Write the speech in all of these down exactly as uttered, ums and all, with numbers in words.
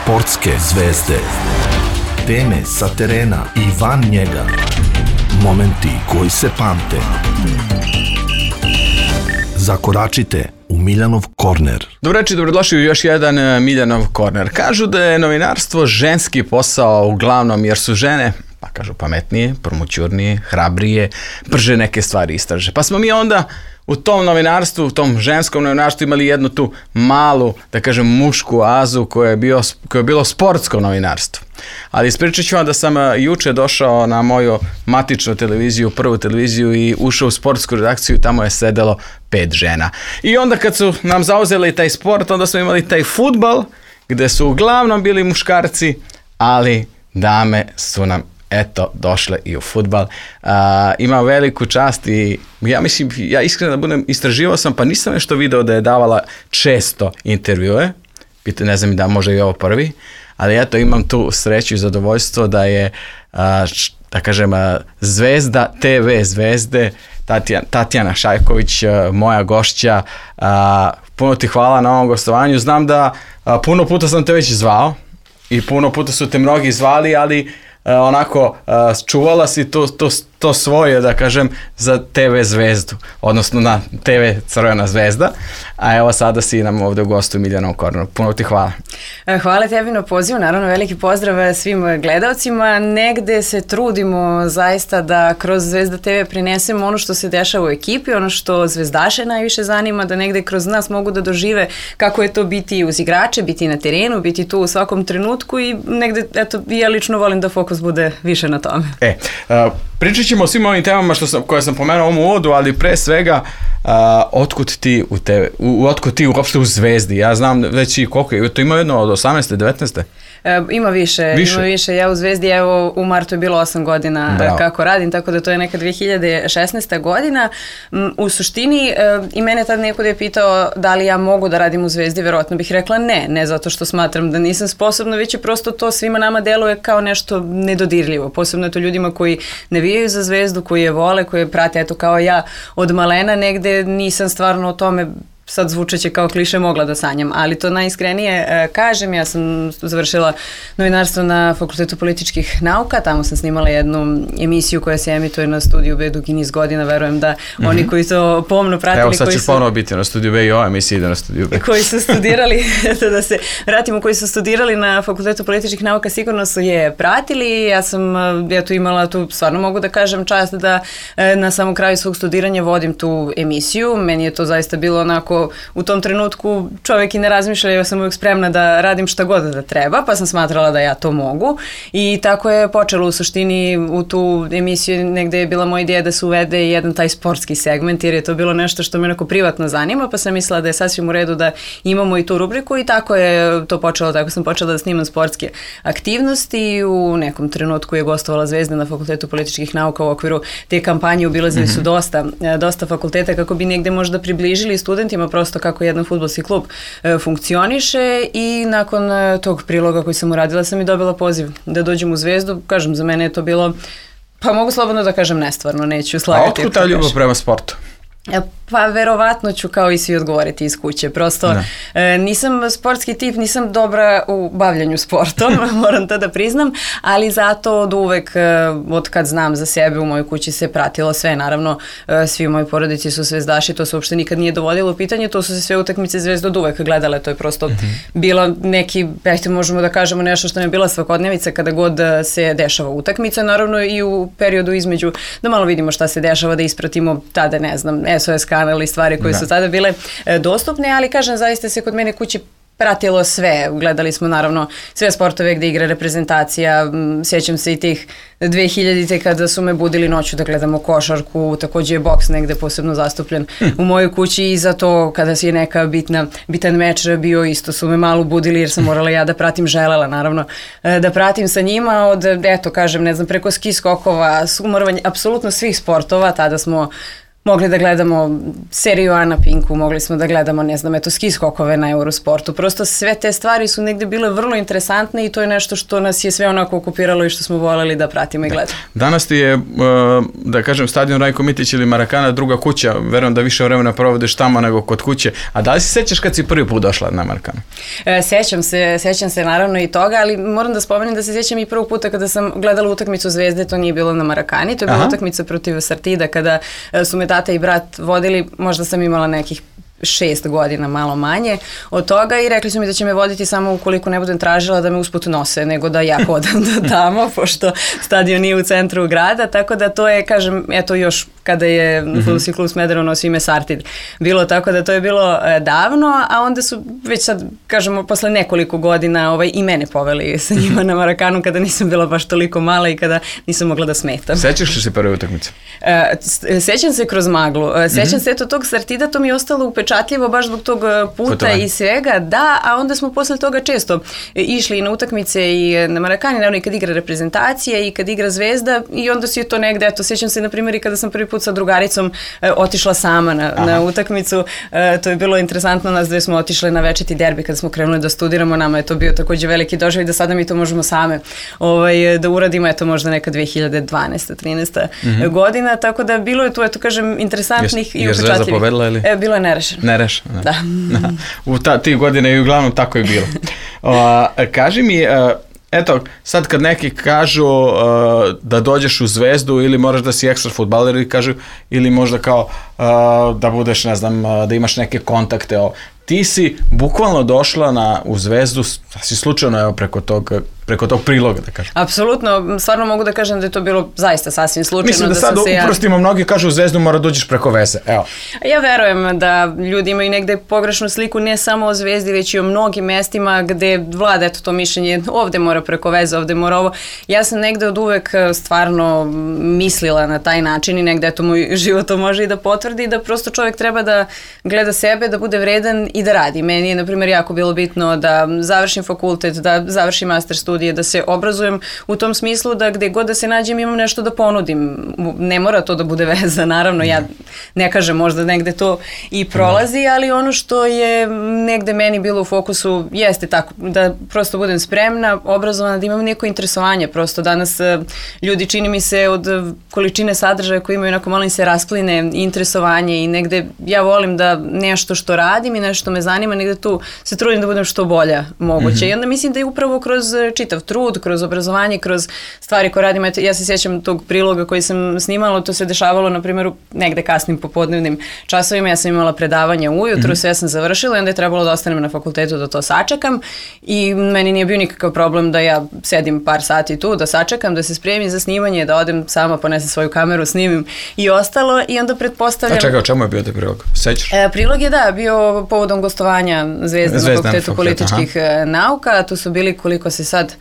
Sportske zvezde. Teme sa terena i van njega. Momenti koji se pamte. Zakoračite u Miljanov korner. Dobro reći, dobrodošli u još jedan Miljanov korner. Kažu da je novinarstvo ženski posao uglavnom jer su žene, pa kažu pametnije, promućurnije, hrabrije, brže neke stvari istraže. Pa smo mi onda u tom novinarstvu, u tom ženskom novinarstvu imali jednu tu malu, da kažem, mušku azu koja je, bio, koja je bilo sportsko novinarstvo. Ali ispričat ću vam da sam juče došao na moju matičnu televiziju, prvu televiziju i ušao u sportsku redakciju i tamo je sedelo pet žena. I onda kad su nam zauzeli taj sport, onda smo imali taj fudbal gde su uglavnom bili muškarci, ali dame su nam eto došle i u fudbal. Uh, ima veliku čast i ja mislim, ja iskreno da budem, istraživao sam pa nisam nešto video da je davala često intervjue, pita, ne znam da može i ovo prvi, ali eto imam tu sreću i zadovoljstvo da je uh, da kažem uh, zvezda te ve zvezde Tatjana, Tatjana Šajković, uh, moja gošća. Uh, puno ti hvala na ovom gostovanju, znam da uh, puno puta sam te već zvao i puno puta su te mnogi zvali, ali Uh, onako uh, čuvala si to, to, to svoje, da kažem, za te ve zvezdu, odnosno na te ve Crvena zvezda, a evo sada si nam ovdje u gostu u Miljanom korneru. Puno ti hvala. Hvala tebi na pozivu, naravno veliki pozdrav svim gledalcima. Negde se trudimo zaista da kroz Zvezda te ve prinesemo ono što se dešava u ekipi, ono što zvezdaše najviše zanima, da negde kroz nas mogu da dožive kako je to biti uz igrače, biti na terenu, biti tu u svakom trenutku i negde, eto, ja lično volim da fokus bude više na tome. E, uh, pričat ćemo o svim ovim temama što sam, koje sam pomenuo u ovom uvodu, ali pre svega uh, otkud ti u tebe, u, otkud ti uopšte u Zvezdi? Ja znam već i koliko je, to ima jedno od osamnaeste, devetnaeste? E, ima više, više, ima više. Ja u Zvezdi, evo u martu je bilo osam godina Bravo. Kako radim, tako da to je neka dve hiljade šesnaesta godina. U suštini, e, i mene tad neko je pitao da li ja mogu da radim u Zvezdi, verovatno bih rekla ne, ne zato što smatram da nisam sposobna, već je prosto to svima nama deluje kao nešto nedodirljivo, posebno to ljudima koji navijaju za Zvezdu, koji je vole, koji je prate, eto kao ja od malena, negde nisam stvarno o tome, sad zvučeće kao kliše, mogla da sanjam, ali to najiskrenije e, kažem, ja sam završila novinarstvo na Fakultetu političkih nauka, tamo sam snimala jednu emisiju koja se emituje na Studiju B dugi niz godina, verujem da mm-hmm. oni koji to pomno pratili, evo sad ćeš su, ponovo biti na Studiju B i ova emisija ide na Studiju B. Koji su studirali, eto da se vratimo, koji su studirali na Fakultetu političkih nauka sigurno su je pratili, ja sam ja tu imala tu, stvarno mogu da kažem, čast da e, na samom kraju svog studiranja vodim tu emisiju, meni je to zaista bilo onako u tom trenutku čovjek i ne razmišlja, ja sam uvijek spremna da radim šta god da treba, pa sam smatrala da ja to mogu i tako je počelo u suštini u tu emisiju, negde je bila moja ideja da se uvede jedan taj sportski segment jer je to bilo nešto što me onako privatno zanima, pa sam mislila da je sasvim u redu da imamo i tu rubriku i tako je to počelo, tako sam počela da snimam sportske aktivnosti. U nekom trenutku je gostovala Zvezda na Fakultetu političkih nauka u okviru te kampanje, obilazili mm-hmm. su dosta, dosta fakulteta kako bi negde možda približili studentima prosto kako jedan fudbalski klub e, funkcioniše i nakon e, tog priloga koji sam uradila sam i dobila poziv da dođem u Zvezdu. Kažem, za mene je to bilo, pa mogu slobodno da kažem nestvarno, neću slagati. A otkud ta ljubav prema sportu? Pa verovatno ću kao i svi odgovoriti iz kuće, prosto e, nisam sportski tip, nisam dobra u bavljanju sportom, moram to da priznam, ali zato od uvek, e, od kad znam za sebe, u mojoj kući se pratilo sve, naravno e, svi u mojoj porodici su zvezdaši, to se uopšte nikad nije dovodilo u pitanje, to su se sve utakmice Zvezde od uvek gledale, to je prosto mm-hmm. bilo neki, ajte možemo da kažemo nešto što ne je bila svakodnevica kada god se dešava utakmica, naravno i u periodu između, da malo vidimo šta se dešava, da ispratimo tada, ne znam, S O S kanal i stvari koje da. Su tada bile e, dostupne, ali kažem, zaista se kod mene kući pratilo sve. Gledali smo naravno sve sportove gde igra reprezentacija, sjećam se i tih dve hiljadite kada su me budili noću da gledamo košarku, takođe je boks negde posebno zastupljen hm. u mojoj kući i zato kada si je neka bitna, bitan meč bio, isto su me malo budili jer sam morala ja da pratim, želela naravno da pratim sa njima od, eto kažem, ne znam, preko ski skokova, sumorovanja, apsolutno svih sportova, tada smo mogli da gledamo seriju A na Pinku, mogli smo da gledamo, ne znam, eto, ski skokove na Eurosportu. Prosto sve te stvari su negde bile vrlo interesantne i to je nešto što nas je sve onako okupiralo i što smo voljeli da pratimo i gledamo. Danas ti je, da kažem, stadion Rajko Mitić ili Marakana druga kuća, verujem da više vremena provodiš tamo nego kod kuće, a da li se sećaš kad si prvi put došla na Marakanu? E, sećam se, sećam se naravno i toga, ali moram da spomenem da se sjećam i prvog puta kada sam gledala utakmicu Zvezde, to nije bilo na Marakani, to je bila Aha. utakmica protiv Sartida kada su me tata i brat vodili, možda sam imala nekih šest godina, malo manje od toga i rekli su mi da će me voditi samo ukoliko ne budem tražila da me usput nose, nego da ja hodam do tamo, pošto stadion nije u centru grada, tako da to je, kažem, eto još kada je mm-hmm. Fudbalski klub Smederevo nosio ime Sartid bilo, tako da to je bilo e, davno, a onda su već sad, kažemo, posle nekoliko godina ovaj, i mene poveli sa njima na Marakanu kada nisam bila baš toliko mala i kada nisam mogla da smetam. Sećaš li se prve utakmice? E, sećam se kroz maglu, e, sećam mm-hmm. se eto tog Sartida, to mi je ostalo upečatljivo baš zbog tog puta Putovanje. I svega, da, a onda smo posle toga često išli na utakmice i na Marakani, naravno i kad igra reprezentacija i kad igra Zvezda i onda si je to negde, eto, sećam se na primjer i kada sam prvi put sa drugaricom e, otišla sama na, na utakmicu, e, to je bilo interesantno, nas dve smo otišle na večiti derbi kada smo krenuli da studiramo, nama je to bio takođe veliki doživljaj da sada mi to možemo same ovaj, da uradimo, eto možda neka dve hiljade dvanaesta trinaesta Mm-hmm. godina, tako da bilo je tu, eto kažem, interesantnih Jes, i upečatljivih. Je Zvezda povedala ili? E, bilo je nerešeno. Nerešeno, da. da. U ta, ti godine i uglavnom tako je bilo. O, kaži mi, eto, sad kad neki kažu uh, da dođeš u Zvezdu ili moraš da si ekstra fudbaler ili kažu, ili možda kao uh, da budeš, ne znam, da imaš neke kontakte, o, ti si bukvalno došla na, u Zvezdu, si slučajno evo preko tog, preko tog priloga, da kažem. Apsolutno, stvarno mogu da kažem da je to bilo zaista sasvim slučajno. Mislim da, da sad ja... uprostimo, mnogi kažu u Zvezdu mora dođeš preko veze, evo. Ja verujem da ljudi imaju negde pogrešnu sliku ne samo o Zvezdi, već i o mnogim mestima gde vlada eto to mišljenje, ovde mora preko veze, ovde mora ovo. Ja sam negde od uvek stvarno mislila na taj način i negde eto moj život to može i da potvrdi, da prosto čovjek treba da gleda sebe, da bude vredan i da radi. Meni je, na primjer, jako bilo bitno da završim fakultet, da završim master studije, da se obrazujem u tom smislu da gde god da se nađem imam nešto da ponudim. Ne mora to da bude veza, naravno, ja ne kažem, možda negde to i prolazi, ali ono što je negde meni bilo u fokusu jeste tako, da prosto budem spremna, obrazovana, da imam neko interesovanje. Prosto danas ljudi, čini mi se, od količine sadržaja koji imaju, onako malo im se raspline interesovanje i negde ja volim da nešto što radim i nešto me zanima, negde tu se trudim da budem što bolja moguće. Mm-hmm. I onda mislim da je upravo kroz čitav trud, kroz obrazovanje, kroz stvari koje radim. Ja se sjećam tog priloga koji sam snimala, to se dešavalo, na primjer, negde kasnim popodnevnim časovima. Ja sam imala predavanje ujutru, mm-hmm. sve sam završila i onda je trebalo da ostanem na fakultetu da to sačekam i meni nije bio nikakav problem da ja sedim par sati tu, da sačekam, da se spremim za snimanje, da odem sama, ponesem svoju kameru, snimim i ostalo i onda pretpostavljam... A čekaj, o čemu je bio taj prilog? Sećaš? E, prilog je, da, bio povodom gostovanja Zvezde na fakultetu političkih aha. nauka. Tu su bili, koliko se sad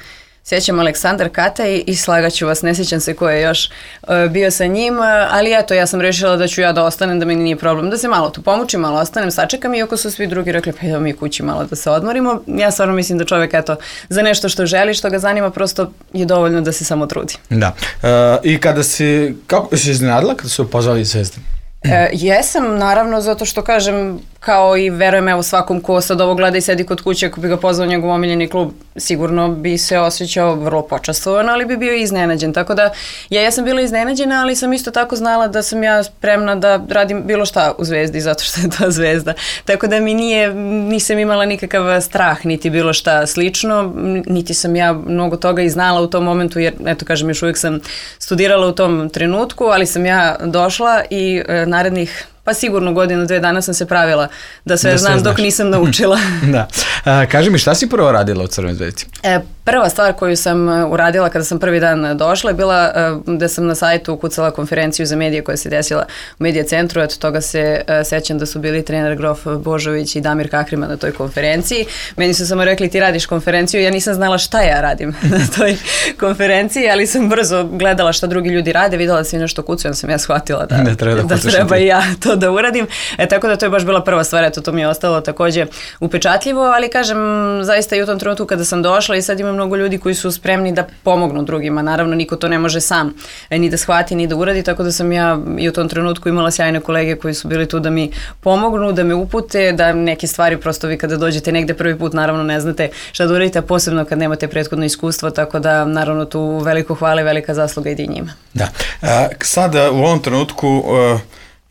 sjećam, Aleksandar Kataj i slagaću vas, ne sjećam se ko je još uh, bio sa njim, uh, ali eto, ja sam rešila da ću ja da ostanem, da meni nije problem, da se malo tu pomučim, malo ostanem, sačekam, iako su svi drugi rekli, pa idemo mi kući malo da se odmorimo. Ja stvarno mislim da čovjek, eto, za nešto što želi, što ga zanima, prosto je dovoljno da se samo trudi. Da. Uh, I kada si, kako si iznenadila kada su pozvali Zvezdu? E, jesam, naravno, zato što kažem, kao i verujem evo svakom ko sad ovo gleda i sedi kod kuće, ako bi ga pozvao njegov omiljeni klub, sigurno bi se osjećao vrlo počastvovan, ali bi bio iznenađen. Tako da ja, ja sam bila iznenađena, ali sam isto tako znala da sam ja spremna da radim bilo šta u Zvezdi, zato što je to Zvezda. Tako da mi nije, nisam imala nikakav strah, niti bilo šta slično, niti sam ja mnogo toga i znala u tom momentu, jer eto kažem, još uvijek sam studirala u tom trenutku, ali sam ja došla i e, narednih pa sigurno godinu, dve dana sam se pravila da sve da znam dok nisam naučila. Da. A, kaži mi, šta si prvo radila u Crvenoj Zvezdi? E, prva stvar koju sam uradila kada sam prvi dan došla je bila uh, da sam na sajtu ukucala konferenciju za medije koja se desila u Medija centru. Eto toga se uh, sećam da su bili trener Grof Božović i Damir Kakrima na toj konferenciji. Meni su samo rekli ti radiš konferenciju, ja nisam znala šta ja radim na toj konferenciji, ali sam brzo gledala šta drugi ljudi rade, videla da svi nešto kucaju, onda sam ja shvatila da, da treba, da treba i ja to to da uradim. E, tako da to je baš bila prva stvar, eto to mi je ostalo takođe upečatljivo, ali kažem, zaista i u tom trenutku kada sam došla i sad ima mnogo ljudi koji su spremni da pomognu drugima. Naravno, niko to ne može sam ni da shvati, ni da uradi, tako da sam ja i u tom trenutku imala sjajne kolege koji su bili tu da mi pomognu, da me upute, da neke stvari prosto vi kada dođete negde prvi put, naravno ne znate šta da uradite, a posebno kad nemate prethodno iskustvo, tako da naravno tu veliko hvala i velika zasluga ide i njima. Da. A, sada u ovom trenutku uh,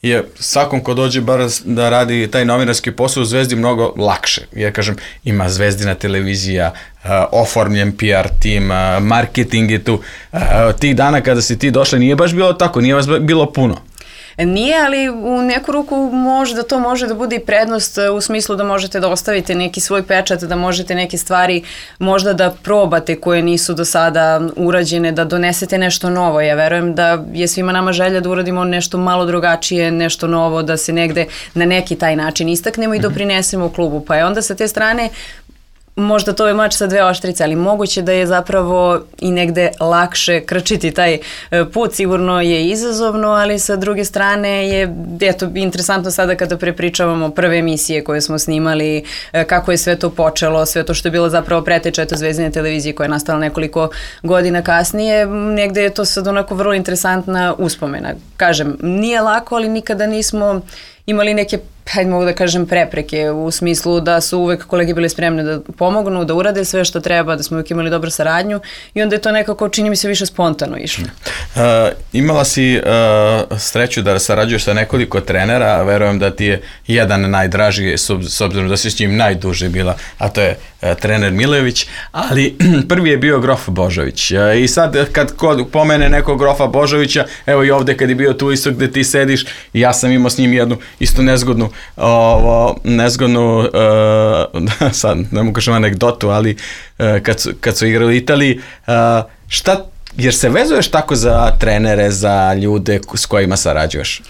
je svakom ko dođe bar da radi taj novinarski posao u Zvezdi mnogo lakše. Ja kažem, ima Zvezdina televizija, uh, oformljen P R tim, uh, marketing je tu. Uh, tih dana kada si ti došla nije baš bilo tako, nije vas bilo puno. Nije, ali u neku ruku možda to može da bude i prednost u smislu da možete da ostavite neki svoj pečat, da možete neke stvari možda da probate koje nisu do sada urađene, da donesete nešto novo. Ja verujem da je svima nama želja da uradimo nešto malo drugačije, nešto novo, da se negde na neki taj način istaknemo i doprinesemo u klubu. Pa je onda sa te strane možda to je mač sa dve oštrice, ali moguće da je zapravo i negde lakše krčiti taj put, sigurno je izazovno, ali sa druge strane je, eto, interesantno sada kada prepričavamo prve emisije koje smo snimali, kako je sve to počelo, sve to što je bilo zapravo preteča eto Zvezdine televizije koja je nastala nekoliko godina kasnije, negde je to sad onako vrlo interesantna uspomena. Kažem, nije lako, ali nikada nismo imali neke, hajde mogu da kažem, prepreke u smislu da su uvek kolege bili spremne da pomognu, da urade sve što treba, da smo uvek imali dobru saradnju i onda je to nekako, čini mi se, više spontano išlo. Uh, imala si uh, sreću da sarađuješ sa nekoliko trenera, verujem da ti je jedan najdraži, s obzirom da si s njim najduže bila, a to je uh, trener Milević, ali prvi je bio Grof Božović. Uh, I sad kad kod pomene nekog Grofa Božovića, evo i ovde kad je bio tu isto gde ti sediš, ja sam imao s njim jednu isto nezgodnu ovo, nezgodnu uh, sad ne mogu kažem anegdotu, ali uh, kad, su, kad su igrali u Italiji, uh, šta, jer se vezuješ tako za trenere, za ljude s kojima sarađuješ?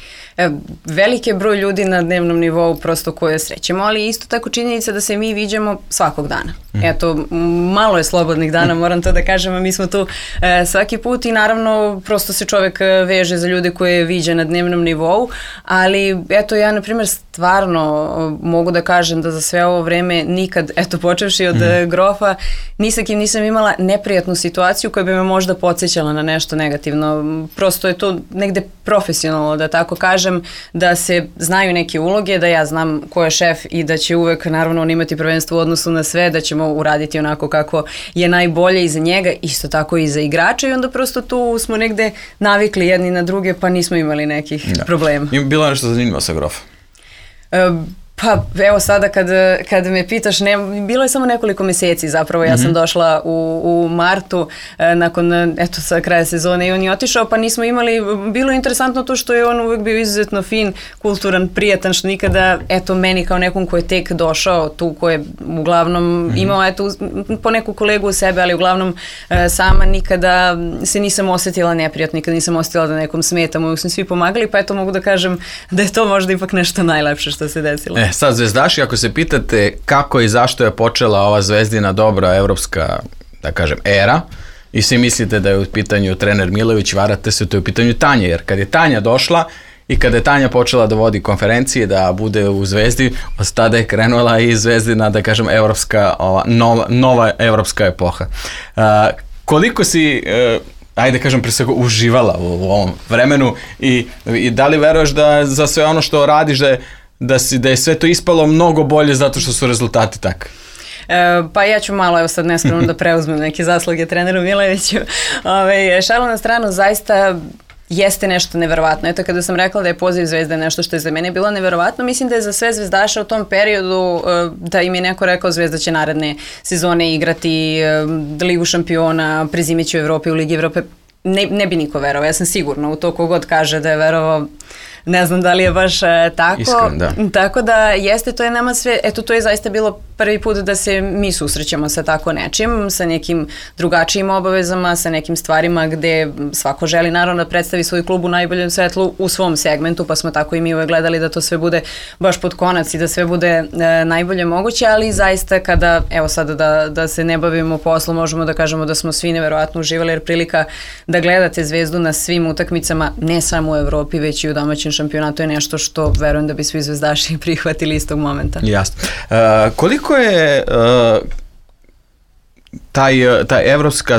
Veliki je broj ljudi na dnevnom nivou prosto koje srećemo, ali isto tako činjenica da se mi viđamo svakog dana. Mm. Eto, malo je slobodnih dana, moram to da kažem, a mi smo tu e, svaki put i naravno prosto se čovek veže za ljude koje viđa na dnevnom nivou, ali eto ja na primjer stvarno mogu da kažem da za sve ovo vreme nikad, eto počevši od mm. Grofa, ni sa kim nisam imala neprijatnu situaciju koja bi me možda podsjećala na nešto negativno. Prosto je to negde profesionalno, da tako kažem, da se znaju neke uloge, da ja znam ko je šef i da će uvek naravno on imati prvenstvo u odnosu na sve, da ćemo uraditi onako kako je najbolje i za njega, isto tako i za igrača i onda prosto tu smo negde navikli jedni na druge pa nismo imali nekih da. problema. Ima bilo nešto zanimljivo sa Grofom? E, Pa evo sada kad, kad me pitaš, ne, bilo je samo nekoliko meseci zapravo, ja mm-hmm. sam došla u, u martu e, nakon eto sa kraja sezone i on je otišao pa nismo imali, bilo je interesantno to što je on uvek bio izuzetno fin, kulturan, prijatan, što nikada eto meni kao nekom ko je tek došao tu, ko je uglavnom mm-hmm. imao eto po neku kolegu u sebe, ali uglavnom e, sama nikada se nisam osjetila neprijatno, nikada nisam osjetila da nekom smetam, uvek smo svi pomagali pa eto mogu da kažem da je to možda ipak nešto najlepše što se desilo. E, sad zvezdaši, ako se pitate kako i zašto je počela ova Zvezdina dobra evropska, da kažem, era i svi mislite da je u pitanju trener Milović, varate se, to je u pitanju Tanja, jer kad je Tanja došla i kada je Tanja počela da vodi konferencije, da bude u Zvezdi, od tada je krenula i Zvezdina, da kažem, evropska, ova, nova, nova evropska epoha. Uh, koliko si... Uh, ajde kažem pre svega uživala u, u ovom vremenu i, i da li veruješ da za sve ono što radiš da je Da, si, da je sve to ispalo mnogo bolje zato što su rezultati takvi? E, pa ja ću malo, evo sad neskromno da preuzmem neke zasluge treneru Mileviću. Ove, šalu na stranu, zaista jeste nešto neverovatno. Eto kada sam rekla da je poziv Zvezde nešto što je za mene bilo neverovatno, mislim da je za sve zvezdaše u tom periodu da im je neko rekao Zvezda će naredne sezone igrati Ligu šampiona, prezimeći u Evropi, u Ligi Evrope. Ne, ne bi niko verovao, ja sam sigurna u to kogod kaže da je verovao. Ne znam da li je baš e, tako. Iskren, da. Tako da jeste, to je nama sve, eto to je zaista bilo prvi put da se mi susrećemo sa tako nečim, sa nekim drugačijim obavezama, sa nekim stvarima gde svako želi naravno da predstavi svoj klub u najboljem svetlu u svom segmentu, pa smo tako i mi uvek gledali da to sve bude baš pod konac i da sve bude e, najbolje moguće, ali zaista kada, evo sada da, da se ne bavimo poslom, možemo da kažemo da smo svi neverovatno uživali, jer prilika da gledate Zvezdu na svim utakmicama, ne samo u Evropi, već i u domaćem šampionatu je nešto što verujem da bi svi zvezdaši prihvatili istog momenta. Jasno. Uh, koliko je uh, taj, taj, evropska,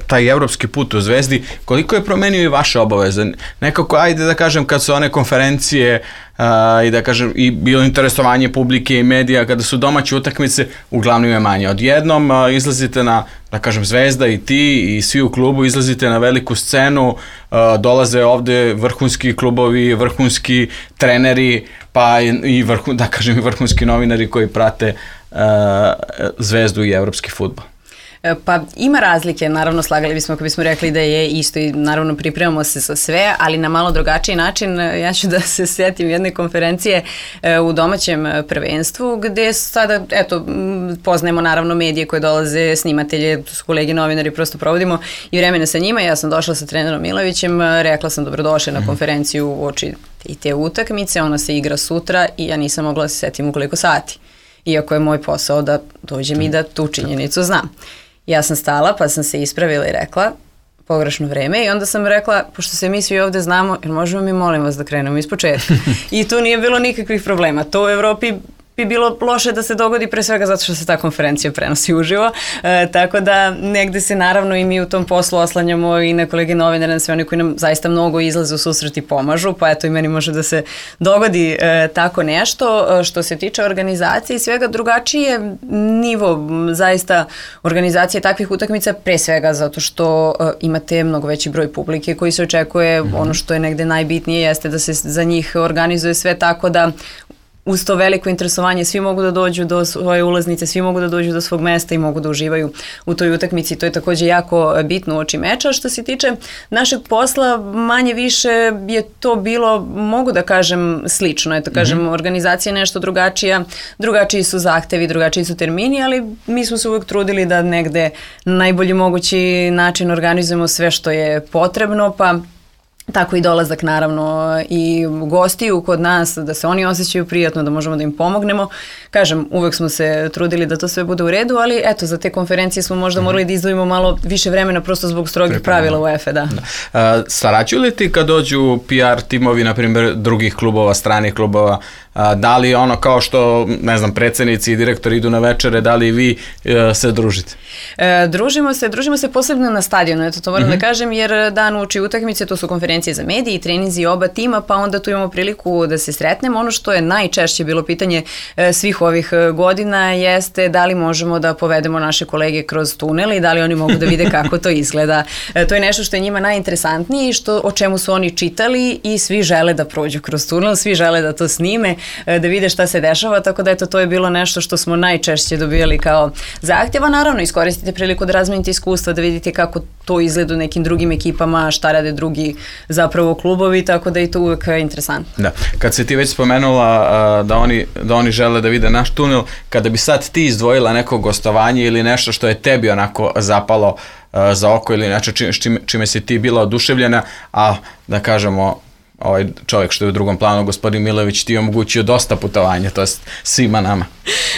taj evropski put u Zvezdi, koliko je promenio i vaše obaveze? Nekako, ajde da kažem, kad su one konferencije uh, i da kažem, i bilo interesovanje publike i medija, kada su domaće utakmice, uglavnom je manje. Odjednom uh, izlazite na, da kažem, Zvezda i ti i svi u klubu izlazite na veliku scenu, uh, dolaze ovde vrhunski klubovi, vrhunski treneri, pa i, vrhu, da kažem, i vrhunski novinari koji prate uh, Zvezdu i evropski fudbal. Pa ima razlike, naravno slagali bismo ako bismo rekli da je isto i naravno pripremamo se za sve, ali na malo drugačiji način. Ja ću da se sjetim jedne konferencije u domaćem prvenstvu gde sada, eto, poznajemo naravno medije koje dolaze, snimatelje, kolege novinari, prosto provodimo i vremena sa njima. Ja sam došla sa trenerom Milovićem, rekla sam dobrodošli na konferenciju u oči i te utakmice, ona se igra sutra i ja nisam mogla da se sjetim u koliko sati. Iako je moj posao da dođem i da tu činjenicu znam. Ja sam stala pa sam se ispravila i rekla pogrešno vreme i onda sam rekla, pošto se mi svi ovde znamo, jer možemo mi molim vas da krenemo iz početka. I tu nije bilo nikakvih problema. To u Evropi bi bilo loše da se dogodi pre svega zato što se ta konferencija prenosi uživo, e, tako da negde se naravno i mi u tom poslu oslanjamo i na kolege novinare, na sve oni koji nam zaista mnogo izlaze u susret i pomažu, pa eto i meni može da se dogodi e, tako nešto. Što se tiče organizacije i svega, drugačiji je nivo zaista organizacije takvih utakmica, pre svega zato što e, imate mnogo veći broj publike koji se očekuje, mm-hmm. ono što je negde najbitnije jeste da se za njih organizuje sve tako da uz to veliko interesovanje svi mogu da dođu do svoje ulaznice, svi mogu da dođu do svog mesta i mogu da uživaju u toj utakmici. To je takođe jako bitno uoči meča. Što se tiče našeg posla, manje više je to bilo, mogu da kažem, slično. Eto, kažem, mm-hmm. organizacija je nešto drugačija, drugačiji su zahtevi, drugačiji su termini, ali mi smo se uvek trudili da negde na najbolji mogući način organizujemo sve što je potrebno, pa tako i dolazak naravno i gostiju kod nas, da se oni osjećaju prijatno, da možemo da im pomognemo. Kažem, uvek smo se trudili da to sve bude u redu, ali eto, za te konferencije smo možda morali da izdvojimo malo više vremena prosto zbog strogih pravila UEFA, da. da. Uh, sarađuju li ti kad dođu P R timovi, na primjer, drugih klubova, stranih klubova, uh, da li ono kao što, ne znam, predsjednici i direktori idu na večere, da li vi uh, se družite? E, družimo se, družimo se posebno na stadionu, eto to moram mm-hmm. da kažem, jer dan uoči utakmice, to su konferencije za medije i treninzi oba tima, pa onda tu imamo priliku da se sretnemo. Ono što je najčešće bilo pitanje e, svih ovih godina jeste da li možemo da povedemo naše kolege kroz tunel i da li oni mogu da vide kako to izgleda. E, to je nešto što je njima najinteresantnije i što, o čemu su oni čitali i svi žele da prođu kroz tunel, svi žele da to snime, e, da vide šta se dešava, tako da eto, to je bilo nešto što smo najčešće dobijali kao zahtjeva. Naravno, iskoristite priliku da razmenite iskustva, da vidite kako to izgleda u nekim drugim ekipama, šta rade drugi zapravo klubovi, tako da je to uvek interesantno. Da, kad se ti već spomenula uh, da, oni, da oni žele da vide naš tunel, kada bi sad ti izdvojila neko gostovanje ili nešto što je tebi onako zapalo uh, za oko ili nešto čime, čime si ti bila oduševljena, a da kažemo ovaj čovjek što je u drugom planu, gospodin Milović, ti je omogućio dosta putovanja, to je svima nama.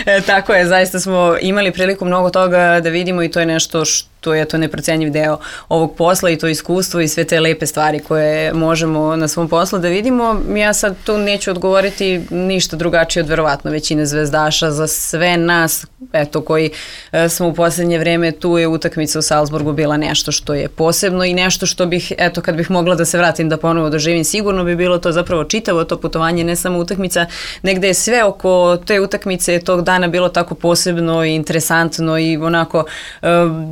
E, tako je, zaista smo imali priliku mnogo toga da vidimo i to je nešto što je to neprocenjiv deo ovog posla i to iskustvo i sve te lepe stvari koje možemo na svom poslu da vidimo. Ja sad tu neću odgovoriti ništa drugačije od verovatno većine zvezdaša. Za sve nas, eto, koji e, smo u posljednje vreme, tu je utakmica u Salzburgu bila nešto što je posebno i nešto što bih, eto, kad bih mogla da se vratim da ponovo doživim, sigurno bi bilo to zapravo čitavo to putovanje, ne samo utakmica, negde je sve oko te utakmice tog dana bilo tako posebno i interesantno i onako e,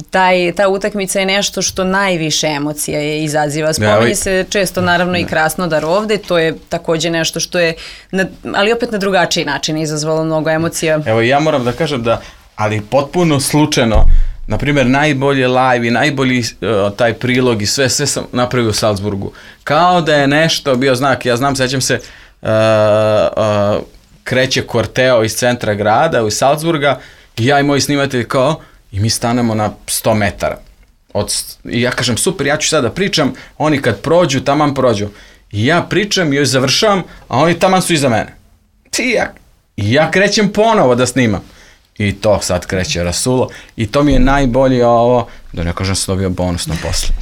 taj ta utakmica je nešto što najviše emocija je izaziva. Spominje se često naravno i Krasnodar ovde, to je takođe nešto što je, na, ali opet na drugačiji način izazvalo mnogo emocija. Evo ja moram da kažem da, ali potpuno slučajno, na primjer najbolje live i najbolji uh, taj prilog i sve, sve sam napravio u Salzburgu. Kao da je nešto bio znak, ja znam, sećam se, uh, uh, kreće korteo iz centra grada, iz Salzburga, i ja i moji snimatelji kao, i mi stanemo na sto metara. Od, I ja kažem, super, ja ću sada da pričam, oni kad prođu, taman prođu. I ja pričam i joj završavam, a oni taman su iza mene. I ja, i ja krećem ponovo da snimam. I to sad kreće rasulo. I to mi je najbolje ovo, da ne kažem, sam dobio bonusno posle.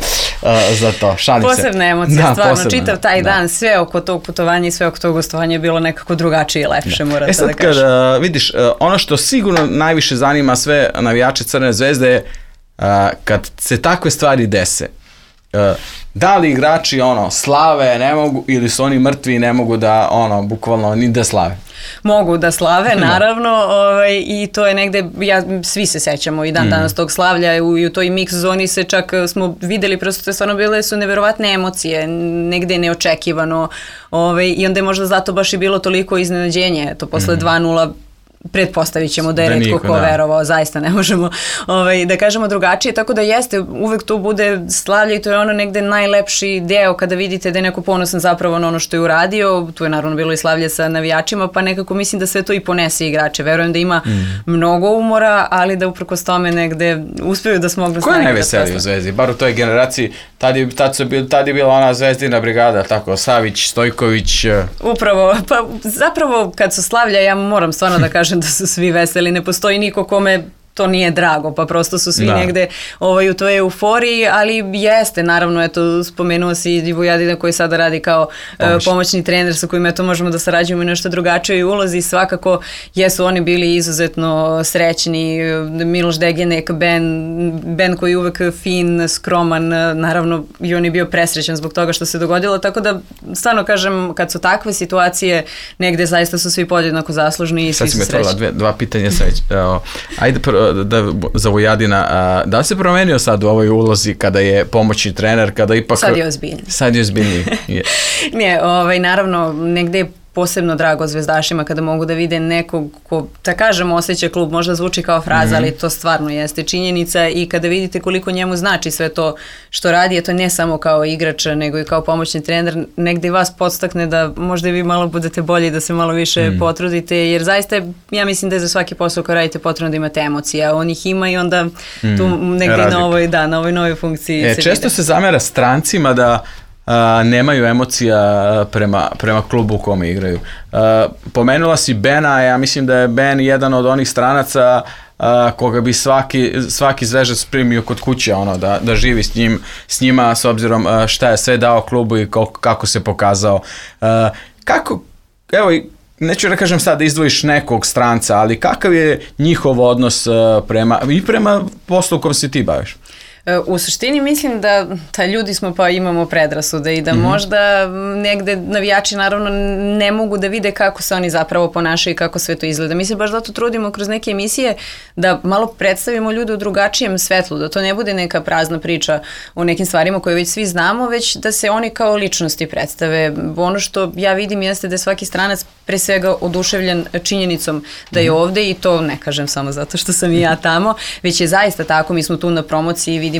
za to. Šalim se. Posebna emocija, da, stvarno, posebna, čitav taj da. dan, sve oko tog putovanja i sve oko tog gostovanja je bilo nekako drugačije i lepše, da. moram e sad, da kažem. Kad, uh, vidiš, uh, ono što sigurno najviše zanima sve navijače Crvene zvezde je uh, kad se takve stvari dese. Uh, da li igrači ono slave ne mogu ili su oni mrtvi i ne mogu da ono bukvalno ni da slave? Mogu da slave, naravno, ovaj, i to je negde, ja, svi se sećamo i dan mm. danas tog slavlja u, i u toj mix zoni se čak smo videli, prosto to je stvarno bile su neverovatne emocije, negde neočekivano, ovaj, i onda je možda zato baš i bilo toliko iznenađenje, to posle mm. dva nula pretpostavit ćemo da je retko ko da. verovao, zaista ne možemo ovaj, da kažemo drugačije, tako da jeste, uvek tu bude slavlje i to je ono negde najlepši deo kada vidite da je neko ponosan zapravo na ono što je uradio, tu je naravno bilo i slavlje sa navijačima, pa nekako mislim da sve to i ponese igrače, verujem da ima mm. mnogo umora, ali da uprkos tome negde uspeju da smognu snage. Ko je najveseliji u Zvezdi, bar u toj generaciji, tad je, tad su bil, tad je bila ona Zvezdina brigada, tako, Savić, Stojković. Upravo, pa zapravo kad su slavlja, ja moram stvarno da kažem da su svi veseli, ne postoji niko kome to nije drago, pa prosto su svi da. negde ovaj, u toj euforiji, ali jeste, naravno, eto, spomenuo si i Vujadina koji sada radi kao uh, pomoćni trener sa kojim eto možemo da sarađujemo i nešto drugačije ulozi, svakako jesu oni bili izuzetno srećni, Miloš Degenek, Ben, Ben koji je uvek fin, skroman, naravno i on je bio presrećan zbog toga što se dogodilo, tako da stvarno kažem, kad su takve situacije, negde zaista su svi podjednako zaslužni i svi su srećni. Sad si me dva pitanja sreć. Ajde prvo, da, za Vujadina, a, da li se promenio sad u ovoj ulozi kada je pomoćni trener, kada ipak... Sad je ozbiljniji. Sad je ozbiljniji. Je. Nije, ovaj, naravno, negde je posebno drago zvezdašima kada mogu da vide nekog ko, da kažem, osjeća klub, možda zvuči kao fraza, mm-hmm. ali to stvarno jeste činjenica i kada vidite koliko njemu znači sve to što radi, je to ne samo kao igrač, nego i kao pomoćni trener, negde vas podstakne da možda i vi malo budete bolji, da se malo više mm. potrudite, jer zaista ja mislim da je za svaki posao koji radite potrebno da imate emocije, a on ih ima i onda mm. tu negde na ovoj, da, na ovoj novoj funkciji e, se često vide. Se zamera strancima da Uh, nemaju emocija prema, prema klubu u kome igraju. Uh, pomenula si Bena, ja mislim da je Ben jedan od onih stranaca uh, koga bi svaki, svaki zvežac primio kod kuće, ono, da, da živi s, njim, s njima s obzirom uh, šta je sve dao klubu i kako, kako se pokazao. Uh, kako, evo, neću da kažem sad da izdvojiš nekog stranca, ali kakav je njihov odnos uh, prema, i prema poslu kom se ti baviš? U suštini mislim da, da ljudi smo pa imamo predrasude i da mm-hmm. možda negde navijači naravno ne mogu da vide kako se oni zapravo ponašaju i kako sve to izgleda. Mi se baš zato trudimo kroz neke emisije da malo predstavimo ljude u drugačijem svetlu, da to ne bude neka prazna priča o nekim stvarima koje već svi znamo, već da se oni kao ličnosti predstave. Ono što ja vidim jeste da je svaki stranac pre svega oduševljen činjenicom da je ovde i to ne kažem samo zato što sam i ja tamo, već je zaista tako, mi smo tu na promociji, vidimo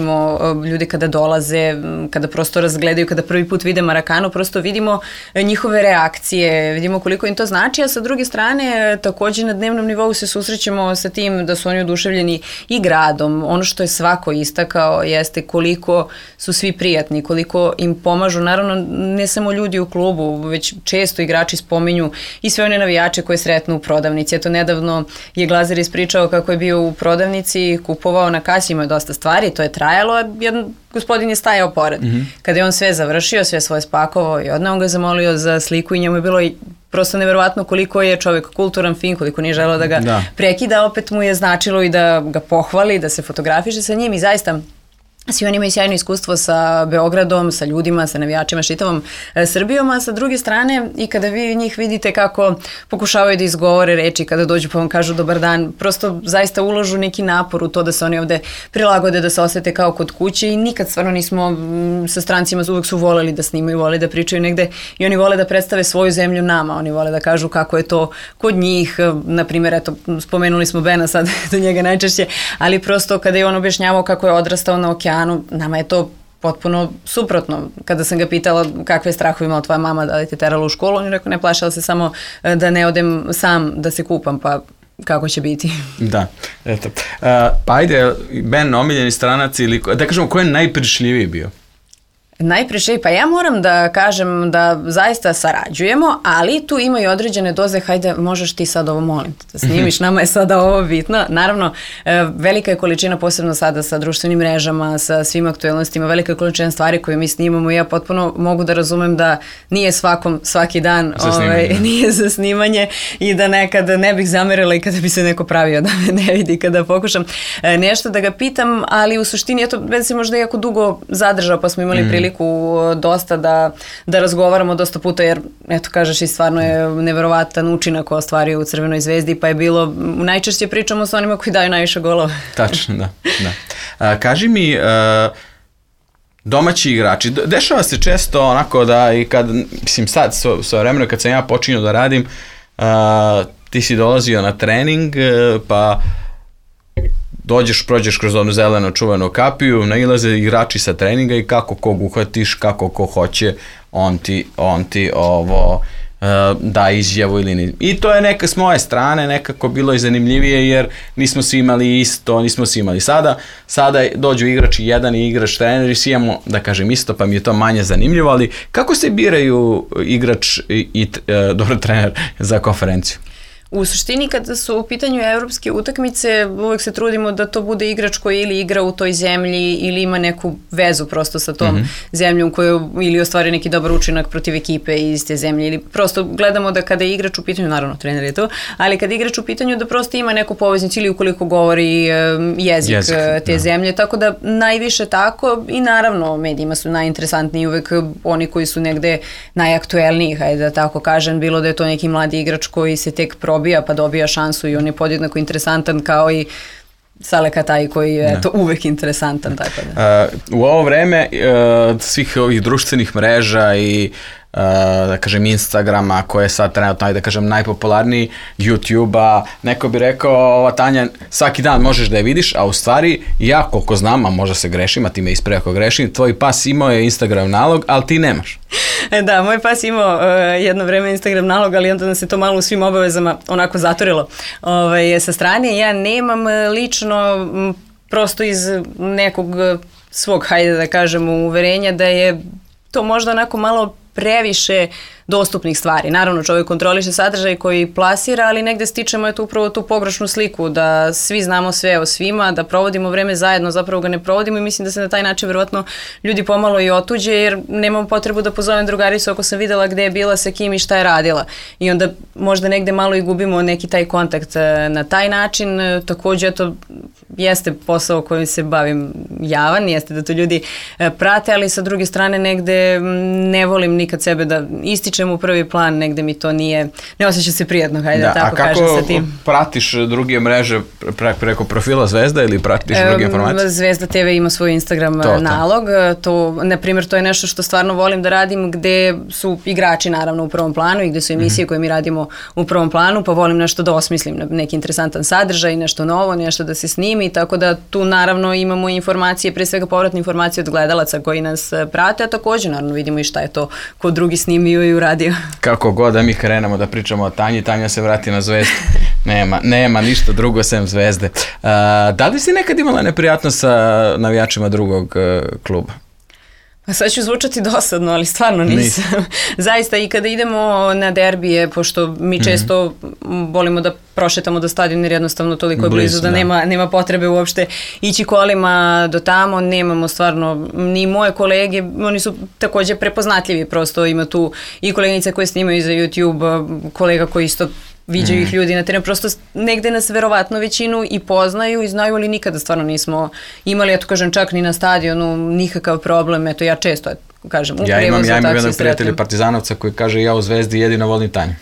ljude kada dolaze, kada prosto razgledaju, kada prvi put vide Marakanu, prosto vidimo njihove reakcije, vidimo koliko im to znači, a sa druge strane takođe na dnevnom nivou se susrećemo sa tim da su oni oduševljeni i gradom. Ono što je svako istakao jeste koliko su svi prijatni, koliko im pomažu, naravno ne samo ljudi u klubu, već često igrači spominju i sve one navijače koje sretnu u prodavnici. Eto, nedavno je Glazer ispričao kako je bio u prodavnici, kupovao na kasi, imao dosta stvari, to je trajalo, a jedan gospodin je stajao pored. Mm-hmm. Kada je on sve završio, sve svoje spakovao i odneo ga zamolio za sliku i njemu je bilo prosto neverovatno koliko je čovjek kulturan, fin, koliko nije želeo da ga da. prekida, opet mu je značilo i da ga pohvali, da se fotografiše sa njim i zaista svi oni imaju sjajno iskustvo sa Beogradom, sa ljudima, sa navijačima, šitavom e, Srbijom, a sa druge strane i kada vi njih vidite kako pokušavaju da izgovore reči, kada dođu pa vam kažu dobar dan, prosto zaista uložu neki napor u to da se oni ovde prilagode, da se osete kao kod kuće i nikad stvarno nismo m, sa strancima, uvek su voleli da snimaju, vole da pričaju negde i oni vole da predstave svoju zemlju nama, oni vole da kažu kako je to kod njih, na primjer, eto, spomenuli smo Bena sad, do njega najčešće, ali prosto kada je on objašnjavao kako je odrastao na okeanu, nama je to potpuno suprotno. Kada sam ga pitala kakve strahove imala tvoja mama, da li te terala u školu, on je rekao ne, plašala se samo da ne odem sam da se kupam, pa kako će biti. Da, eto. Uh, pa ajde, Ben omiljeni stranac ili, da kažemo, ko je najprišljiviji bio? Najpreče, pa ja moram da kažem da zaista sarađujemo, ali tu ima i određene doze, hajde, možeš ti sad ovo, molim te, da snimiš, nama je sada ovo bitno. Naravno, velika je količina, posebno sada sa društvenim mrežama, sa svim aktuelnostima, velika je količina stvari koje mi snimamo i ja potpuno mogu da razumem da nije svakom svaki dan ovaj, nije za snimanje i da nekad ne bih zamerila i kada bi se neko pravio da me ne vidi kada pokušam nešto da ga pitam, ali u suštini, eto, Ben se možda jako dugo zadržao, pa smo imali mm. priliku dosta da, da razgovaramo dosta puta, jer, eto, kažeš i stvarno je neverovatan učinak ostvario u Crvenoj zvezdi, pa je bilo, najčešće pričamo sa onima koji daju najviše golova. Tačno, da. da. A, kaži mi, a, domaći igrači, dešava se često onako da i kad, mislim sad, so, so vremeno kad sam ja počinio da radim, a, ti si dolazio na trening, pa dođeš, prođeš kroz onu zeleno čuvenu kapiju, nailaze igrači sa treninga i kako kog uhvatiš, kako ko hoće, on ti, on ti ovo uh, da izjavu ili ni. I to je neka s moje strane nekako bilo i zanimljivije jer nismo svi imali isto, nismo svi imali sada. Sada dođu igrači jedan i igrač trener i svi imamo, da kažem, isto, pa mi je to manje zanimljivo, ali kako se biraju igrač i, i uh, dobro trener za konferenciju? U suštini kada su u pitanju evropske utakmice uvek se trudimo da to bude igrač koji ili igra u toj zemlji ili ima neku vezu prosto sa tom mm-hmm. zemljom koju ili ostvari neki dobar učinak protiv ekipe iz te zemlje ili prosto gledamo da kada je igrač u pitanju, naravno trener je to, ali kada je igrač u pitanju da prosto ima neku poveznicu ili ukoliko govori jezik, jezik te da. zemlje, tako da najviše tako i naravno medijima su najinteresantniji uvek oni koji su negde najaktuelniji, hajde da tako kažem, bilo da je to neki mladi igrač koji se tek probija pa dobija šansu i on je podjednako interesantan kao i Sale Kataj koji je ne. to uvek interesantan. Tako da. Uh, u ovo vreme uh, svih ovih društvenih mreža i Uh, da kažem Instagrama koje je sad trenutno, da kažem, najpopularniji, YouTube-a, neko bi rekao, ova Tanja, svaki dan možeš da je vidiš, a u stvari ja koliko znam, a možda se grešim, a ti me ispravi ako grešim, tvoj pas imao je Instagram nalog, ali ti nemaš. Da, moj pas imao uh, jedno vreme Instagram nalog, ali onda nam se to malo u svim obavezama onako zatorilo ovaj, sa strane. Ja nemam lično m, prosto iz nekog svog, hajde da kažem, uverenja da je to možda onako malo previše dostupnih stvari. Naravno, čovjek kontroliše sadržaj koji plasira, ali negde stičemo je tu upravo tu pogrešnu sliku, da svi znamo sve o svima, da provodimo vreme zajedno, zapravo ga ne provodimo i mislim da se na taj način verovatno ljudi pomalo i otuđe, jer nemam potrebu da pozovem drugaricu ako sam videla gde je bila, sa kim i šta je radila. I onda možda negde malo i gubimo neki taj kontakt na taj način. Takođe, to jeste posao kojim se bavim javan, jeste da to ljudi prate, ali sa druge strane negde ne volim nikad sebe da ističem u prvi plan, negde mi to nije, ne osjeća se prijatno, hajde da, tako kažem sa tim. A kako pratiš druge mreže pre, preko profila Zvezda ili pratiš e, druge informacije? Zvezda te ve ima svoj Instagram to, nalog, to, na primjer, to je nešto što stvarno volim da radim, gde su igrači naravno u prvom planu i gde su emisije mm-hmm. koje mi radimo u prvom planu, pa volim nešto da osmislim, neki interesantan sadržaj, nešto novo, nešto da se snimi, tako da tu naravno imamo informacije, pre svega povratne informacije od gledalaca koji nas prate, a takođe naravno vidimo i šta je to ko drugi snimio i uradio. Kako god da mi krenemo da pričamo o Tanji, Tanja se vrati na Zvezdu. Nema, nema ništa drugo sem Zvezde. Uh, da li si nekad imala neprijatnost sa navijačima drugog uh, kluba? Pa sad ću zvučati dosadno, ali stvarno nisam. Nis. Zaista i kada idemo na derbije, pošto mi često mm-hmm. volimo da prošetamo do stadiona jer jednostavno toliko je blizu, blizu da, da. Nema, nema potrebe uopšte ići kolima do tamo, nemamo stvarno ni moje kolege, oni su takođe prepoznatljivi, prosto ima tu i koleginice koje snimaju za YouTube, kolega koji isto viđaju mm. ih ljudi na terenu, prosto negde nas verovatno većinu i poznaju i znaju, ali nikada stvarno nismo imali, eto kažem, čak ni na stadionu nikakav problem, eto ja često kažem, u ja prevozu, ja imam jednog prijatelja Partizanovca koji kaže ja u Zvezdi jedino volim Tanju.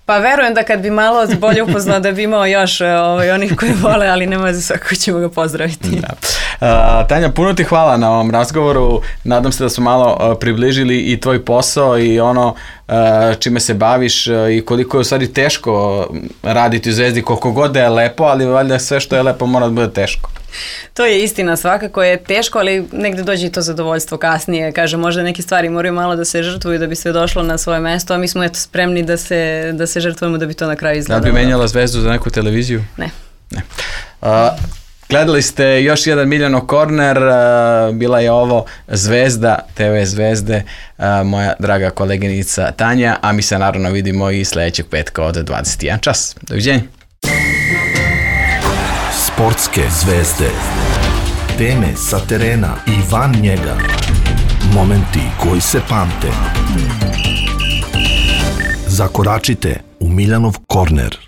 Pa verujem da kad bi malo bolje upoznao da bi imao još ovaj, onih koji vole, ali nema za svako ćemo ga pozdraviti. Da. Uh, Tanja, puno ti hvala na ovom razgovoru. Nadam se da smo malo uh, približili i tvoj posao i ono uh, čime se baviš uh, i koliko je u stvari teško raditi u Zvezdi, koliko god da je lepo, ali valjda sve što je lepo mora da bude teško. To je istina, svakako je teško, ali negde dođe i to zadovoljstvo kasnije. Kaže, možda neke stvari moraju malo da se žrtvuju da bi sve došlo na svoje mesto, a mi smo eto spremni da se, da se žrtvujemo da bi to na kraju izgledalo. Da bi menjala Zvezdu za neku televiziju? Ne. Ne. Uh, Gledali ste još jedan Miljanov korner, bila je ovo Zvezda, te ve Zvezde, moja draga koleginica Tanja, a mi se naravno vidimo i sljedećeg petka od dvadeset jedan čas. Doviđenja. Sportske zvezde. Teme sa terena i van njega. Momenti koji se pamte. Zakoračite u Miljanov korner.